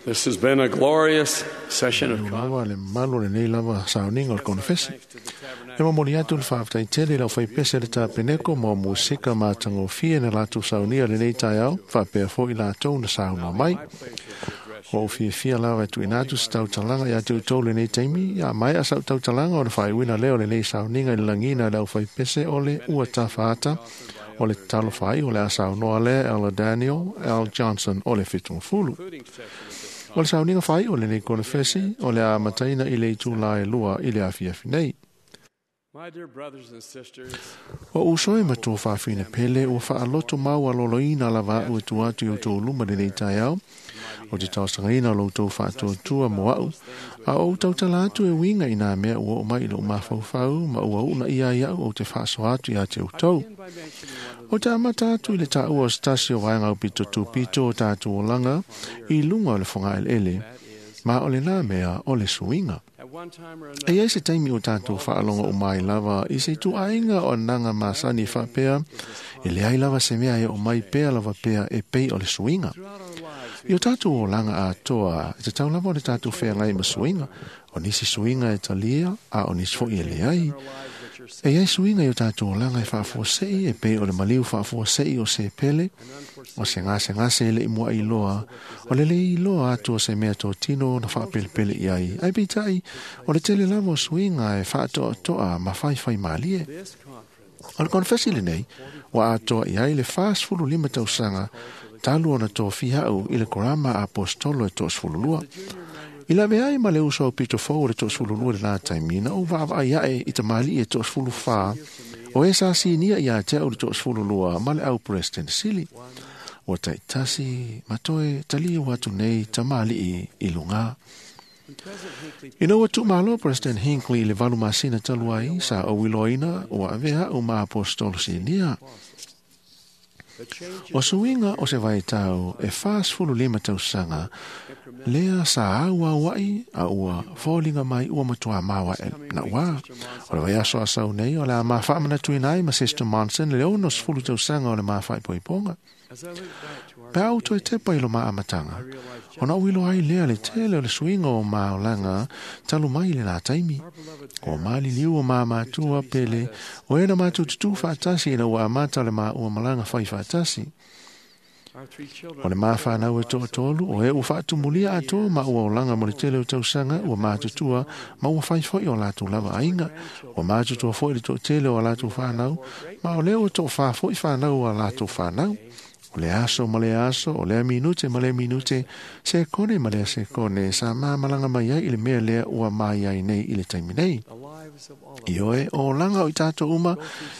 This has been a glorious session of lava le mamalu o lenei lava sauniga o le konofesi. E momoli atu le faafetai tele i le aufaipese le tapeneko ma o musika matagofie na latou saunia lenei taeao, faapea foi latou na saunoa mai. Ua ou fiafia lava e tuuina atu se tautalaga ia te outou lenei taimi, a maea sau tautalaga ona faaiuina lea o lenei sauniga i le lagiina e le aufaipese o le ua tafaata o le tatalo faaiu o le a saunoa lea Elder Daniel L. Johnson o le 70. O le sauniga faaiu o lenei konofesi o le a amataina i le itula e 2 i le afiafi nei. My dear brothers and sisters, O uso e matua faafina pele ua faaloto mau aloloina lava a'u e tu atu i outou luma lenei taeao o te talosagaina o lo outou faatuatua mo a'u a ou tautala atu e uiga i nā mea ua oo mai i lo'u mafaufau ma ua u'una ia ai a'u ou te faasoa atu iā te outou. begin by mentioning one of O te amata atu i le taua o se tasi o vaega aupito tupito o tatou olaga i luga o le fogaeleele, ma o lenā mea o le suiga. the, at one time or E another, iai se taimi o tatou faalogo uma ai lava i se ituaiga o anaga masani faapea, e leai lava se mea e oo mai pea lava pea e pei o le suiga. throughout our lives, I o tatou olaga atoa, e tatau lava o le tatou feagai ma suiga. O nisi suiga e talia, a o nisi fo'i e leai. our lives which are E iai suiga i o tatou olaga e faafuasei e pei o le maliu faafuasei o se pele, o se gasegase e le'i mua'i loa, o le lei loa atu o se mea totino na faapelepele i ai. Ai peitai, o le tele lava o suiga e faatoatoa ma faifai malie. this conference O le konofesi lenei, ua atoa i ai le 45 tausaga talu ona tofia a'u i le korama apostolo e 32. I lave ai ma le uso au pito fou o le 32 lenā taimi, na ou vaavaai a'e i tamali'i e 24, o e sa sinia iā te a'u le 32 ma le au president sili. Ua ta'itasi ma toe taliu atu nei tamali'i i lugā. when President Hinckley Ina ua tuumālō President Hinckley i le 8 masina talu ai, sa ou iloaina ua avea a'u ma apostolo sinia. the change O suiga o se vaitau e 45 tausaga, lea sa auaua'i a ua foliga mai ua matuā maoa e na'uā. O le vaiaso a sau nei o le a mafaamanatuina ai ma Sister Monson le 60 tausaga o le mafaipoipoga. as I look back to our Pe au toe tepa i lo maamatanga, ona ou iloa ai lea le tele o le suiga o maolaga talu mai i lenā taimi. our beloved O maliliu o māmatua pele, o e na mātou tutū faatasi ina ua amata le maua malaga fai faatasi. our three children O le mawhanau e toatolu, o e ua faatumulia atoa ma ua olaga mo le tele o tausaga, ua mātutua, ma ua faifoi o latou lava aiga. Ua mātutua foi le toatele o a latou whanau, ma o lea ua toafā foi whanau o a latou whanau. O le aso ma le aso, o lea minute ma lea minute, se kone ma lea se kone, sa māmalanga mai ai i le mea lea ua mai ai nei i le taimi nei. the lives of all of I oe o langa o i tātou uma,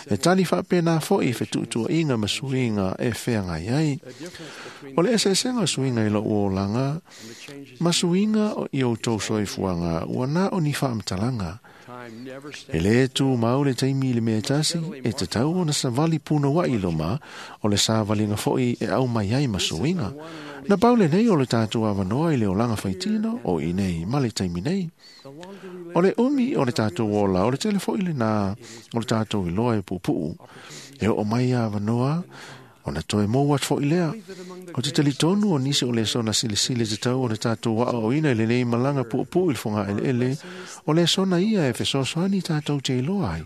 e tali faapena foi i fetuutuaʻiga ma suiga e feagai ai. the difference between O le eseesega o suiga i lo'u olaga, and the changes ma suiga o i outou soifuaga, ua na o ni faamatalaga. time never E stands lē tumau le taimi i le mea tasi, e tatau ona savali punoua'i loma, o le savaliga fo'i e au mai ai ma suiga. Na pau lenei o le tatou avanoa i le olaga faitino, o i nei ma le taimi nei. the longer we O le umi o le tatou ola, o le tele fo'i lenā, o le tatou iloa e puupuu. E oo mai avanoa, ona toe mou atu fo'i lea. live that among the O te talitonu o nisi o le sona silisili te tau o le tatou a'oa'oina i lenei malaga puupuu i le fogaeleele, o le sona ia e fesoasoani tatou te iloa ai.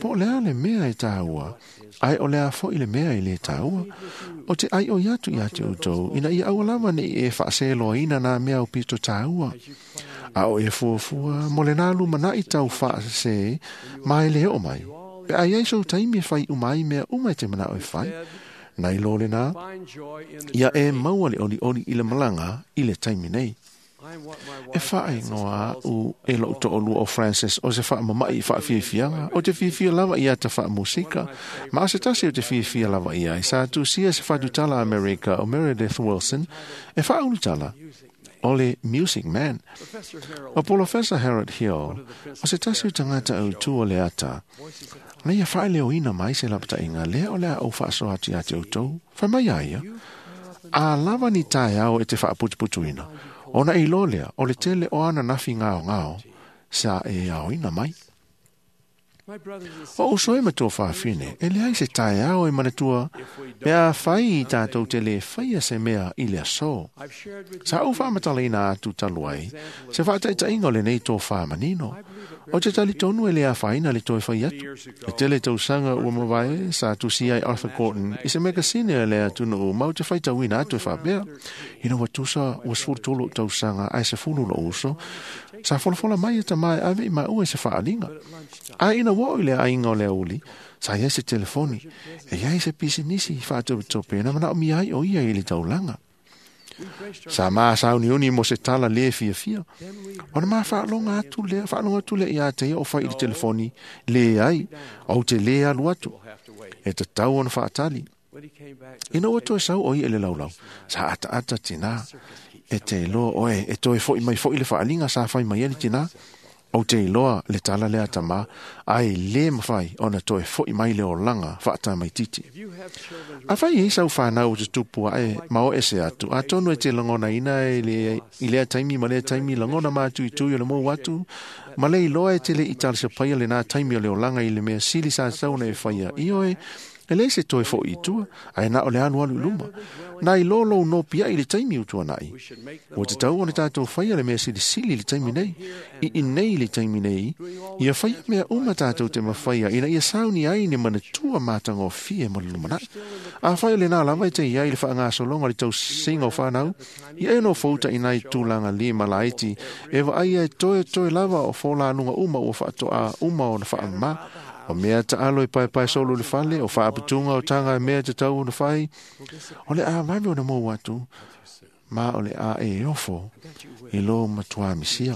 Po o le a le mea e tāua, ai o le a fo'i le mea e lē tāua. O te aioi atu iā te outou, ina ia aua lava ne'i e faaseloaina nā mea o pito tāua. A o e fuafua, mo le nā lumana'i tau faasesē, ma e le oo mai. Pe a iai sou taimi e fai uma ai mea uma e te mana'o e fai, na ilo lenā, find joy in the ia e journey. maua le olioli i le malaga i le taimi nei. I'm what my E wife faaigoa Frances a'u e lo'u to'alua o Francis o se faamama'i faafiafiaga, o te fiafia lava ia ta faamusika, ma o se tasi o te fiafia lava ia ai sa tusia se fatutala Amerika o Meredith Wilson e faaulutala o le Music Man. Professor Harold O Polofesa Harold Hill, o se tasi o tagata autū o le ata, na ia faaleoina mai se lapataʻiga lea o le a ou faasoa atu iā te outou, fai mai a ia. A lava ni taeao e te faaputuputuina, ona e iloa lea o le tele o ana nafi gaogao sa e aoina mai. O uso e matua whawhine, e leai se taeao e manatua, mea whai i tātou te le whaia se mea i le aso. Sa au whaamatalaina atu talu ai, se whaataitainga o lenei tō whaamanino. O te tali tonu e le awhaina le toe whai atu. E tele tausaga ua mavae sa tusi ai Arthur Gordon i se megasine a le atunuu mau te whaitauina atu e whaapea. Ina ua tusa ua 13 tausaga ae 10 lo uso, sa folafola mai e tama e ave i maua i se whaalinga. A ina ua o i le ainga o le auli, sa iai se telefoni, e iai se pisinisi whaatopetope na mana o mi ai o ia i le taulanga. Sa maa sauniuni mo se tala le fia fia. Ona maa whaalonga atu lea, whaalonga atu lea i a te o whai i le telefoni, le ai, au te le alu atu. E te tau ona whaatali. Ina ua toe sau o ia le laulau, sa ata ata tina, e te iloa oe, e toe foi mai foi le whaalinga sa whai mai ele tina, o te iloa le tala lea tama, ai le mawhai ona toe foi mai le olanga whaata mai titi. A whai e sau whanau o te tupua e mao ese atu, a tonu e te langona ina e le, i lea taimi ma lea taimi langona mātu i tui o le mou atu, ma le iloa e te le i tala se paia le nā taimi o le olanga i le mea sili sa sauna e whaia i oe, e le se toe foi i tua, ae na o le anu alu i luma. Nā i lolo no pia i le taimi utua nai. Ua te tau o le tātou whaia le mea silisili le taimi nei, i inei le taimi nei, ia whaia mea uma tātou te mawhaia, ina ia sauni ai ne manatua mātanga o fie mo le lumanai. A whaia le nā lava e te iai le whaangasolonga le tau singa o whanau, ia e no fouta inai tūlanga li malaiti, e wa ai e toe toe lava o fōlānunga uma ua whaatoa uma o na whaama, o mea taalo e pae pae solo le fale, o whaaputunga o tanga e mea te tau o na whai, o le a vave o na mou atu, ma o le a e ofo, i lo matua misia.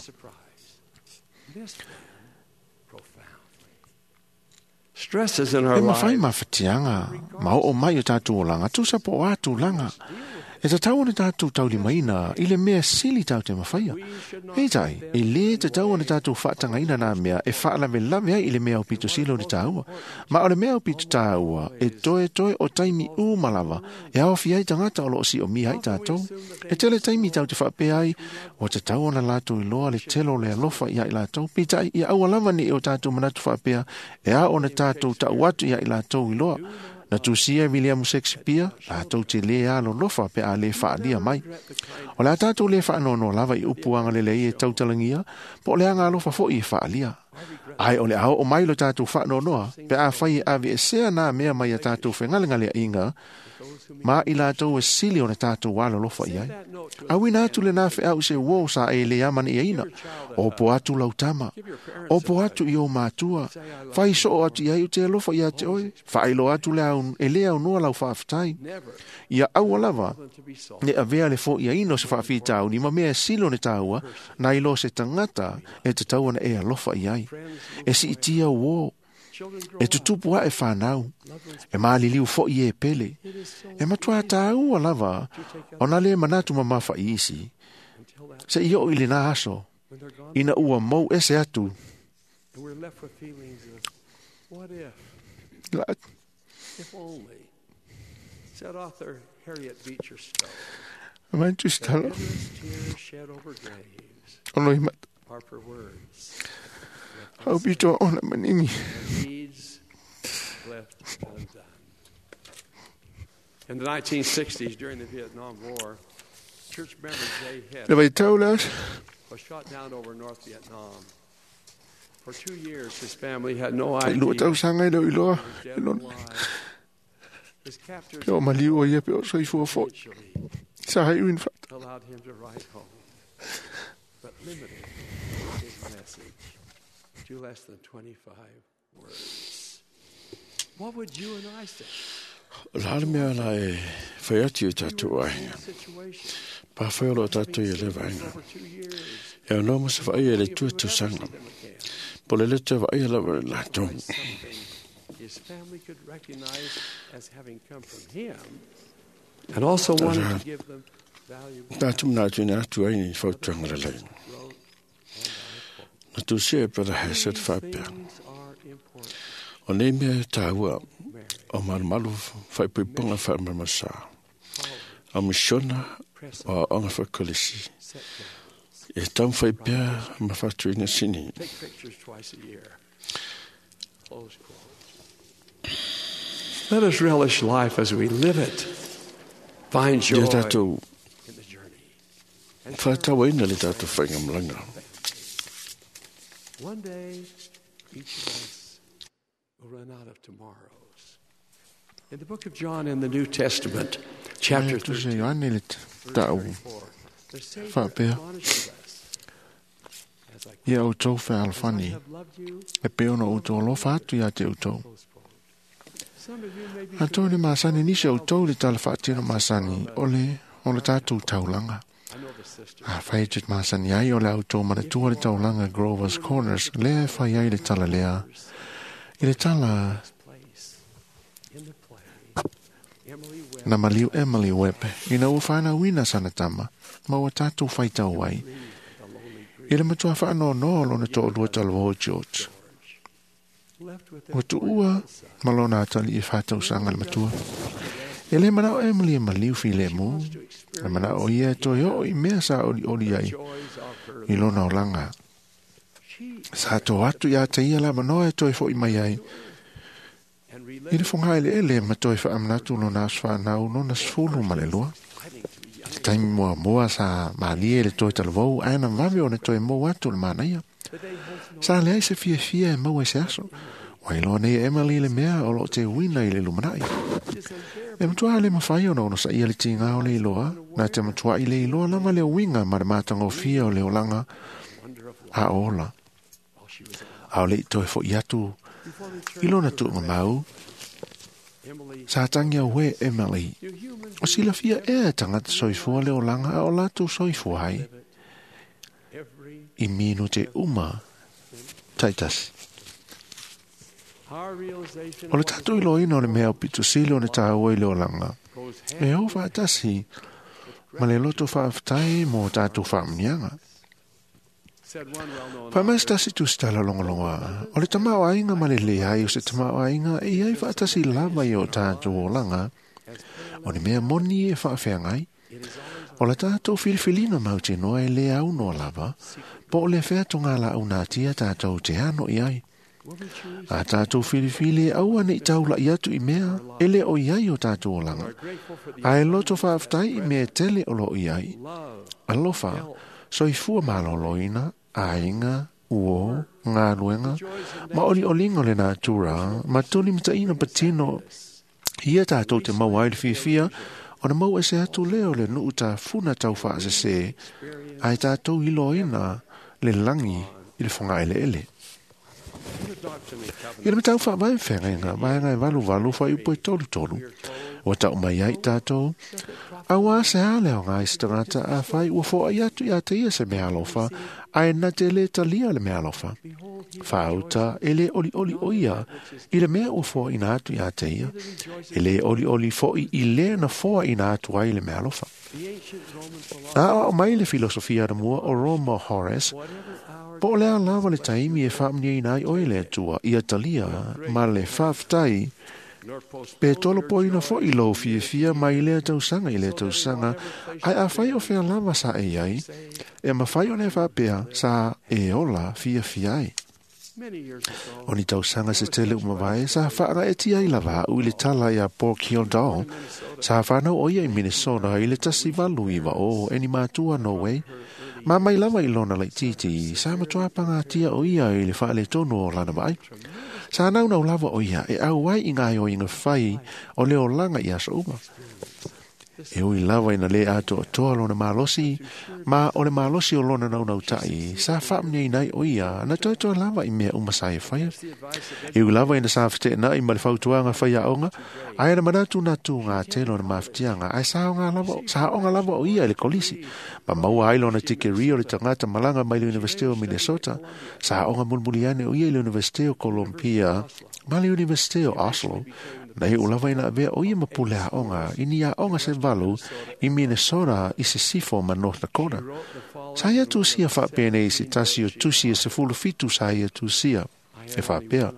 Stresses in our E mawhai lives mawhatianga, ma o mai o tātou olanga, tūsa po o atu langa. E te tau o tātou taulimaina, i le mea sili tau te mawhaia. Peitai, e le te tau o tātou whaatangaina nā mea, e whaalave lave ai i le mea o pito silo o tāua. Ma o le mea o pito tāua, e toe toe o taimi umalava, e aofi ai tangata o lo si o mi ai tātou. E tele taimi tau te whaapea ai, o te tau ona lātou i loa le telo le alofa i ai lātou. Peitai, i aua lava ni e o tātou manatu whaapea, e a ona tātou tau atu i ai lātou i loa. Na tusia William Shakespeare, lātou te le alo lofa pe a le whaalia mai. O la tātou le whaanono lava i upuanga lele i e tautalangia, po o le anga alofa fo i e whaalia. Ai o le ao o mai lo tātou whaanonoa, pe a whai e ave e sea nā mea mai a tātou whengalengale inga, ma i lātou e sili o na tātou alo lofa i ai. Awina atu le nā wheau se uo sa e le amani i aina, o po atu lau tama, o po atu i o mātua, whai so o atu i ai o te alofa i a te oe, whailo atu le au, e le au noa lau whaaftai. Ia aua lava, ne avea le fo i aino se whaafitau, ni ma mea silo ne tāua, nā ilo se tangata e te tauana e alofa i ai. E si itia uo, e tutupu a e whanau, e maaliliu fo i e pele, e matua tāua lava, o nā le manatu mamafa i isi, se i o i le nā aso, ina ua mou ese atu. And we're left with feelings of, what if, La, if only, said author Harriet Beecher Stowe, mantu that stalo, endless tears shed over graves ono i mat, are for words left hau pito ona manini. and deeds left undone. In the 1960s, during the Vietnam War, church member Jay Hess Le vai tau las, was shot down over North Vietnam. For 2 years, his family had no ai idea lua tau sanga i leo i loa, he was dead e or lona, alive. His captors pe o maliu o ia pe o soifua fo, eventually sa hai uin whata. allowed him to write home, but limited his message to less than 25 words. What would you and I say? O la mea la e whai atu i tātou We were ai. in the same situation. Pa whai o lo tātou i le Having vainga. over 2 years. E o noa masa whaia le If we tua would ever tausanga. see them again, Po le le te whaia lava le lātou. write something his family could recognize as having come from him, and also wanted to give them valuable Tātou mna atu ina atu ai ni whautuanga le lai. wrote, and I quote, Na tūsia e Brother Hesed "These whapea. things are important, O nei mea e tāua Mary, o marumaru whaipuipunga whaimaramasa. O misiona press o onga whakolisi. set goals, E tau whaipea ma whatuina sini. take pictures twice a year. Let us relish life as we live it. Find joy Ia tātou in the journey. whātauaina le tātou whaingamalaga. One day, each of us will run out of tomorrows. In the book of John in the New Testament, chapter Ae tusi 13, Ioane le verse ta'u 34, the Savior Faapea. admonishes us, as I ia outou quote, "As I fealofani have loved you," e pei ona outou alofa atu iā te outou. close quote. Some of you may be Atonu masani nisi o outou le tala faatino masani o le o le tātou taulaga. I know the sister. A fai te masani ai o le autou manatua le taulaga Grover's Corners lea e fai ai le tala lea. I le tala Place in the play, Emily Webb na maliu Emily Webb ina ua whanauina sana tama ma ua tātou whaitau ai. the lonely I le matua whaanonoa o lona to'olua talavō George. left with their Ua tuua ma lona atali i whātausanga le matua. E le manao Emily e maliu fi le mu. E manao ia e toi o i mea sa oli oli ai joys of her. i lona olanga. She Sa tō atu ia te ia la manoa e toi fo i mai ai. and I le relate whonga ele ele ma toi whaamanatu lona aswhanau lona sfulu ma le lua. fighting to be young. Te taimi mua mua sa malie le toi talavou ae na vave o na toi mou atu le manaia. The day holds no Sa leai se fia fia e maua i se aso. Wailoa nei Emily le mea o lo te wina i le lumanai. is unbearable. E matua le mawhai ona ono sa ia le tinga o le iloa, nā te matua i le iloa lava le winga ma le mātangofia o le olanga Wonder of life a ola. while she was alive. A o le i toi fo i atu Before i returning lona to tuunga her mau, Emily, sa tangia we Emily. do humans O silafia ea tangata soifua le olanga a o lātou soifua ai live it every i minu te uma taitasi. our realization O le of what tātou iloina o le mea o pito sili o le tāua i le olanga. goes hand E o whaatasi ma le loto whaaftai mō tātou whaamnianga. said one well-known Whamais tasi tu stala longolonga. O le tamao ainga ma le leai o se tamao ainga e iai whaatasi lava i o tātou olanga. O ni mea moni e whaawheangai. it is always O le tātou filifilina mau te noa e le au noa lava. Po o le wheatonga la au nā tia tātou te ano i ai. will we choose A tātou filifili e aua nei taula i atu i mea e le o iai o tātou olanga. are grateful for the A e loto whaaftai i mea tele o lo iai. love Alofa, soifua maloloina, aiga, uo, ngā luenga, ma oli olinga le natura, ma toli mtaina patino, ia tātou te mau ai le fiafia, o na mau ese atu leo le nuu tā funa tau whaasese, ai tātou iloina le langi i le whanga ele ele. in the Doctrine and Covenants I le matau wha vai whenga, mai ngai valu valu wha upo i tolu tolu. O tau mai ai tātou, a wā se hale o ngai stangata a whai ua fo ai atu i a te ia se mea alofa, a e na te le talia le mea alofa. behold he Whauta e le oli oli o ia, i le mea ua fo ina atu i a te ia, e le oli oli fo i le na foa ina atu ai le mea alofa. the ancient Roman philosopher A o mai le filosofia na mua o Roma Horace, whatever hour Po o lea lava le taimi e whaamnia ina ai oe le atua i atalia ma le whaaftai nor postpone pe tolo your poina joy fo i lou fiafia mai lea tausaga i lea tausaga ai a fai o fea lava sa e ai e mawhai o le whaapea sa e ola fiafia ai. many years ago O ni tausaga se tele umavae sa whaanga e tia i lava au i le tala ia Pork Hill Doll sa whanau o ia i Minnesota i le tasi valu iwa o e ni mātua Norway. Ma mai lava i lona lai titi sa matua pangatia o ia i le whaale tonu o lana mai. Sa nau nau lava o ia e au ai i ngā o inga whai o le olanga i aso uma. E ui lava ina le ato o toa lona malosi, ma o le malosi o lona nau nau tai, sa whaamnia inai o ia, na toi toi lava i mea uma sa e whaia. the advice of E ui lava ina sa white na i ma le fautuanga whaia onga, ai na manatu nā tū ngā te lona mawhitianga, ai sa onga lava, sa onga lava o ia i le kolisi. Ma maua ai lona tike rio le tangata malanga mai le University o Minnesota, sa onga mulmuliane o ia i le University o Columbia, ma le University o Oslo, na i ulava ina avea o ia mapule a onga, i ni a onga se valu i Minnesota i se sifo ma North Dakota. wrote the following Sa ia tusia whaapene i se tasi o tusi e se fulu fitu sa ia tusia. E whaapea,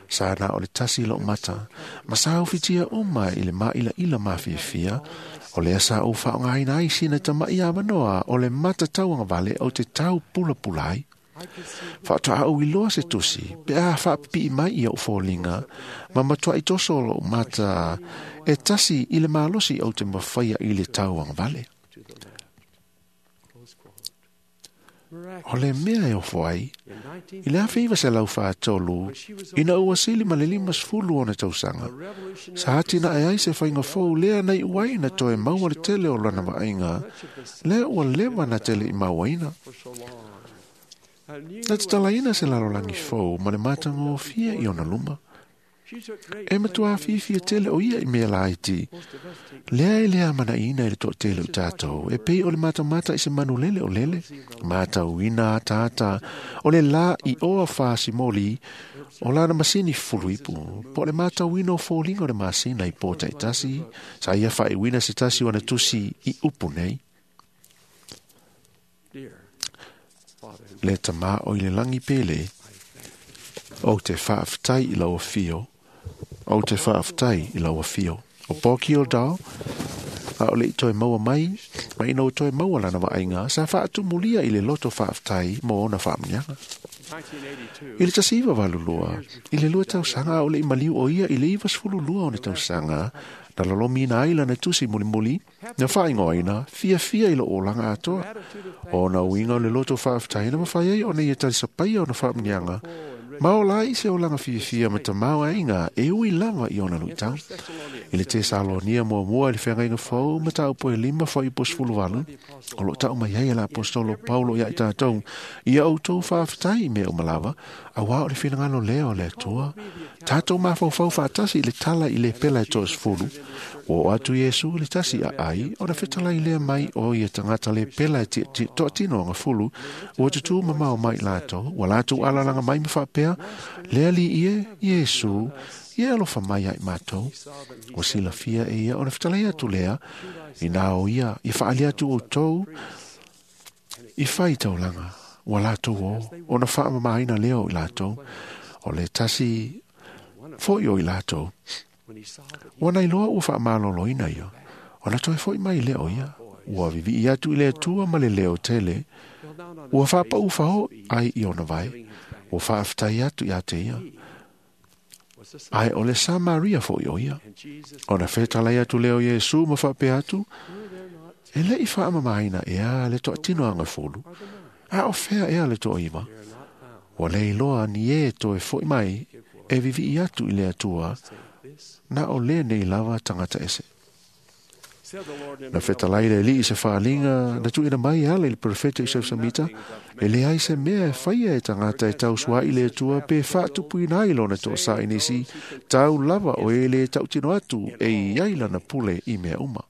sa na o le tasi lo mata. Ma sa ufitia uma i le maila ila mawhiawhia, o lea sa o whaongaina ai sina tama i manoa o le mata tauanga vale o te tau pula pulai. Faatoa ou iloa se tusi, pe a faapipii mai i ou foliga, ma matuai toso o lou mata e tasi i le malosi ou te mafaia i le tauagavale. O le mea e ofo ai, i le 1943, ina ua sili ma le 50 ona tausaga, sa atinae ai se faiga fou lea na iu ai na toe maua le tele o lana vaaiga, lea ua leva na tele i mauaina. Na tatalaina se lalolagi fou ma le matagofie i ona luma. E matua fiafia tele o ia i mea laiti. Lea e le amanaina i le toatele o tatou, e pei o le matamata i se manulele o lele, matauina ataata o le la i oa fasimoli o lana masini fuluipu, po o le matauina o foliga o le masina i pō taitasi, sa ia faaiuina se tasi o ana tusi i upu nei. Le tamā o i le langi pele, ou te faafetai i lau afio, ou te faafetai i lau afio. O Porky O'Dowd, a o le i toe maua mai, ma ina ua toe maua lana vaaiga, sa faatumulia i le loto faafetai mo ona faamuniaga. I le 1982, i le 2 tausaga a o le i maliu o ia i le 92 ona tausaga, na lolomiina ai lana tusi mulimuli, na faaigoaina fiafia i lou olaga atoa. O ona uiga o le loto faafetai na mafai ai ona ia talisapaia ona faamuniaga, ma ola ai se olaga fiafia ma tamaoaiga e ui lava i ona luitau. I le Tesalonia muamua i le feagaiga fou ma mataupu e 5 fuaiupu 18, o loo tau mai ai e le apostolo Paulo ia i tatou, ia outou faafetai i mea uma lava, auā o le finagalo lea o le Atua. Tatou mafaufau faatasi i le tala i le pela e 30, ua oo atu Iesu i le tasi aai, ona fetalai lea mai o ia tagata le pela e toatino agafulu, ua tutū mamao mai i latou, ua latou alalaga mai ma faapea, le alii e, Iesu, ia alofa mai ai matou. Ua silafia e ia ona fetalai atu lea, ina o ia, i faali atu outou, i fai taulaga, ua latou o, ona faamamaina lea o i latou, o le tasi foi o i latou. Ua nailoa ua faamaloloina ia, ona toe foi mai lea o ia, ua vivii atu i le Atua ma le leo tele, ua faapau fao ai i ona vae, ua faafetai atu ia te ia. Ai o le Samaria foi o ia. Ona fetalai atu lea o Iesu ma faapea atu, e le i faamamaina ea le toatino agafulu, a o fea ea le toaiva. Ua le iloa ni e toe foi mai e vivii atu i le Atua, na o le nei lava tagata ese. Na fetalai le alii i se faaliga, na tuuina mai e ala i le profeta i Sausamita, e leai se mea e faia e tagata e tausuai i le Atua pe faatupuina ai lona toasā i nisi, tau lava o e le tautino atu e i ai lana pule i mea uma.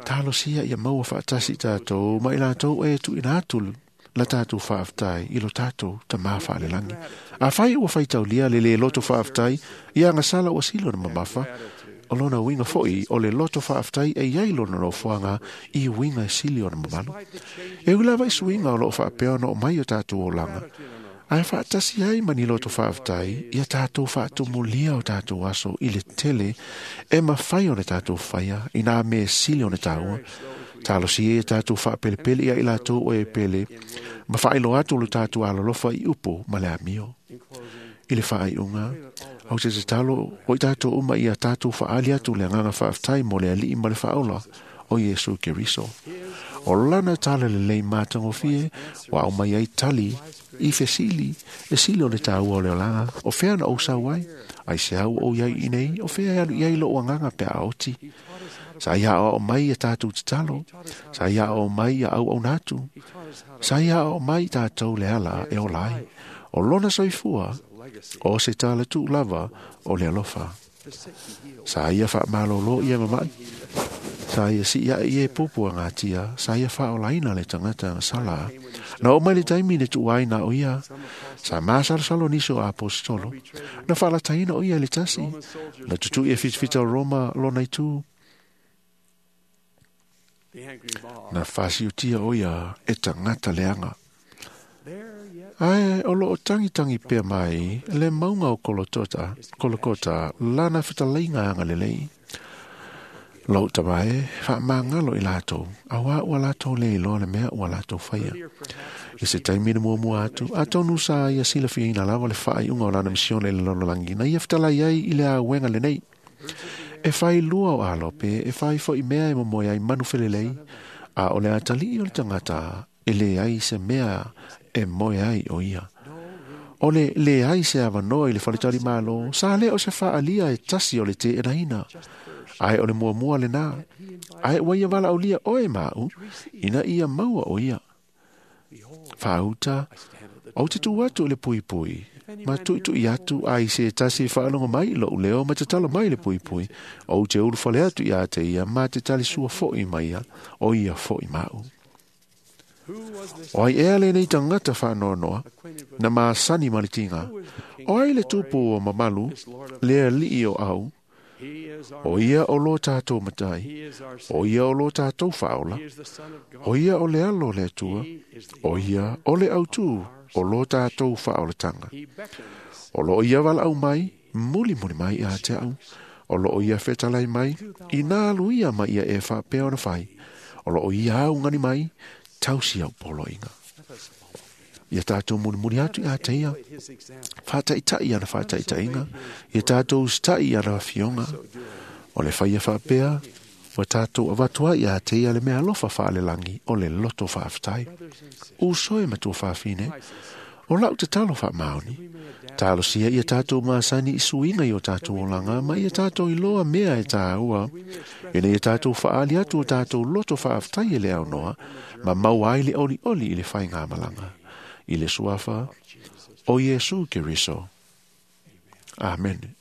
Talosia ia maua faatasi i tatou, ma i latou e tuuina atu la tatou faafetai i lo tatou tamā faalelagi. Afai ua faitaulia le lē loto faafetai, ia agasala ua sili ona mamafa, o lona uiga foi o le loto faafetai e iai lona nofoaga i uiga e sili ona mamalu. E ui lava i suiga o loo faapea ona oo mai o tatou olaga, ae faatasi ai ma ni loto faafetai ia tatou faatumulia o tatou aso i le tele e mafai ona tatou faia i nā mea e sili ona taua. Talosia ia tatou faapelepele ia i latou o e pele, ma faailoa atu lo tatou alolofa i upu ma le amio. I le faaiuga, au te tatalo o i tatou uma ia tatou faaali atu le agaga faafetai mo le alii ma le faaola o Iesu Keriso. O lana tala lelei matagofie, ua aumai ai tali i fesili e sili o le taua o le olaga, o fea na ou sau ai, ai se au ou iai i nei, o fea e alu i ai lou agaga pe a oti. Sa ia aoao mai ia tatou tatalo, sa ia aoao mai ia auauna atu, sa ia aoao mai tatou le ala e ola ai. O lona soifua, o se tala tuu lava o le alofa. Sa ia faamalolo ia mamai, sa ia sii ae i e pupu a ngatia, sa ia faaolaina le tagata sala. Na oo mai le taimi na tuua ai na o ia, sa masalosalo nisi o apostolo, na faalataina o ia i le tasi, na tutui e fitafita o Roma lona itu, na fasiutia o ia e tagata leaga. Ae o loo tangitangi pea mai le mauga o Kolokota lana fetalaiga agalelei. Lou tama e, faamagalo i latou, auā ua latou le iloa le mea ua latou faia. I se taimi na muamua atu, atonu sa ia silafiaina lava le faaiuga o lana misione i le lalolagi, na ia fetalai ai i le auega lenei. E fai lua o alo pe e fai foi mea e momoe ai manu felelei, a o le atalii o le tagata e leai se mea e moe ai o ia. O le leai se avanoa i le faletalimalo, sa le o se faaalia e tasi o le teenaina. Ae o le muamua lena, ae ua ia valaaulia oe ma au, ina ia maua o ia. Faauta, ou te tu atu i le puipui, ma tuitui atu ai se tasi faalogo mai i lou leo ma tatalo mai le puipui, ou te ulufale atu ia te ia ma te talisua foi mai ia, o ia foi ma au. O ai ea lenei tagata faanoanoa, na masani ma le tiga, o ai le tupu o mamalu, le alii o au, o ia o lo tātou matai, o ia o lo tātou faaola, o ia o le alo o le Atua, o ia o le autū o lo tātou faaolatanga. O loo ia valaau mai, mulimuli mai ia te au, o loo ia fetalai mai, ina alu ia ma ia e faapea ona fai, o loo ia augani mai, tausi au poloaiga. Ia tātou mulimuli atu ia te ia, faataitai ana faataitaiga, ia tātou usitai ana afioga. O le faia faapea, ua tātou avatu ai ia te ia le mea alofa faalelagi o le loto faafetai. Uso e matua faafine, o lau tatalo faamaoni, talosia ia tātou masani i suiga i o tātou olaga ma ia tātou iloa mea e tāua, ina ia tātou faaali atu o tātou loto faafetai e le aunoa, ma maua ai le olioli i le faigamalaga. I le suafa o Iesu Keriso. Amene.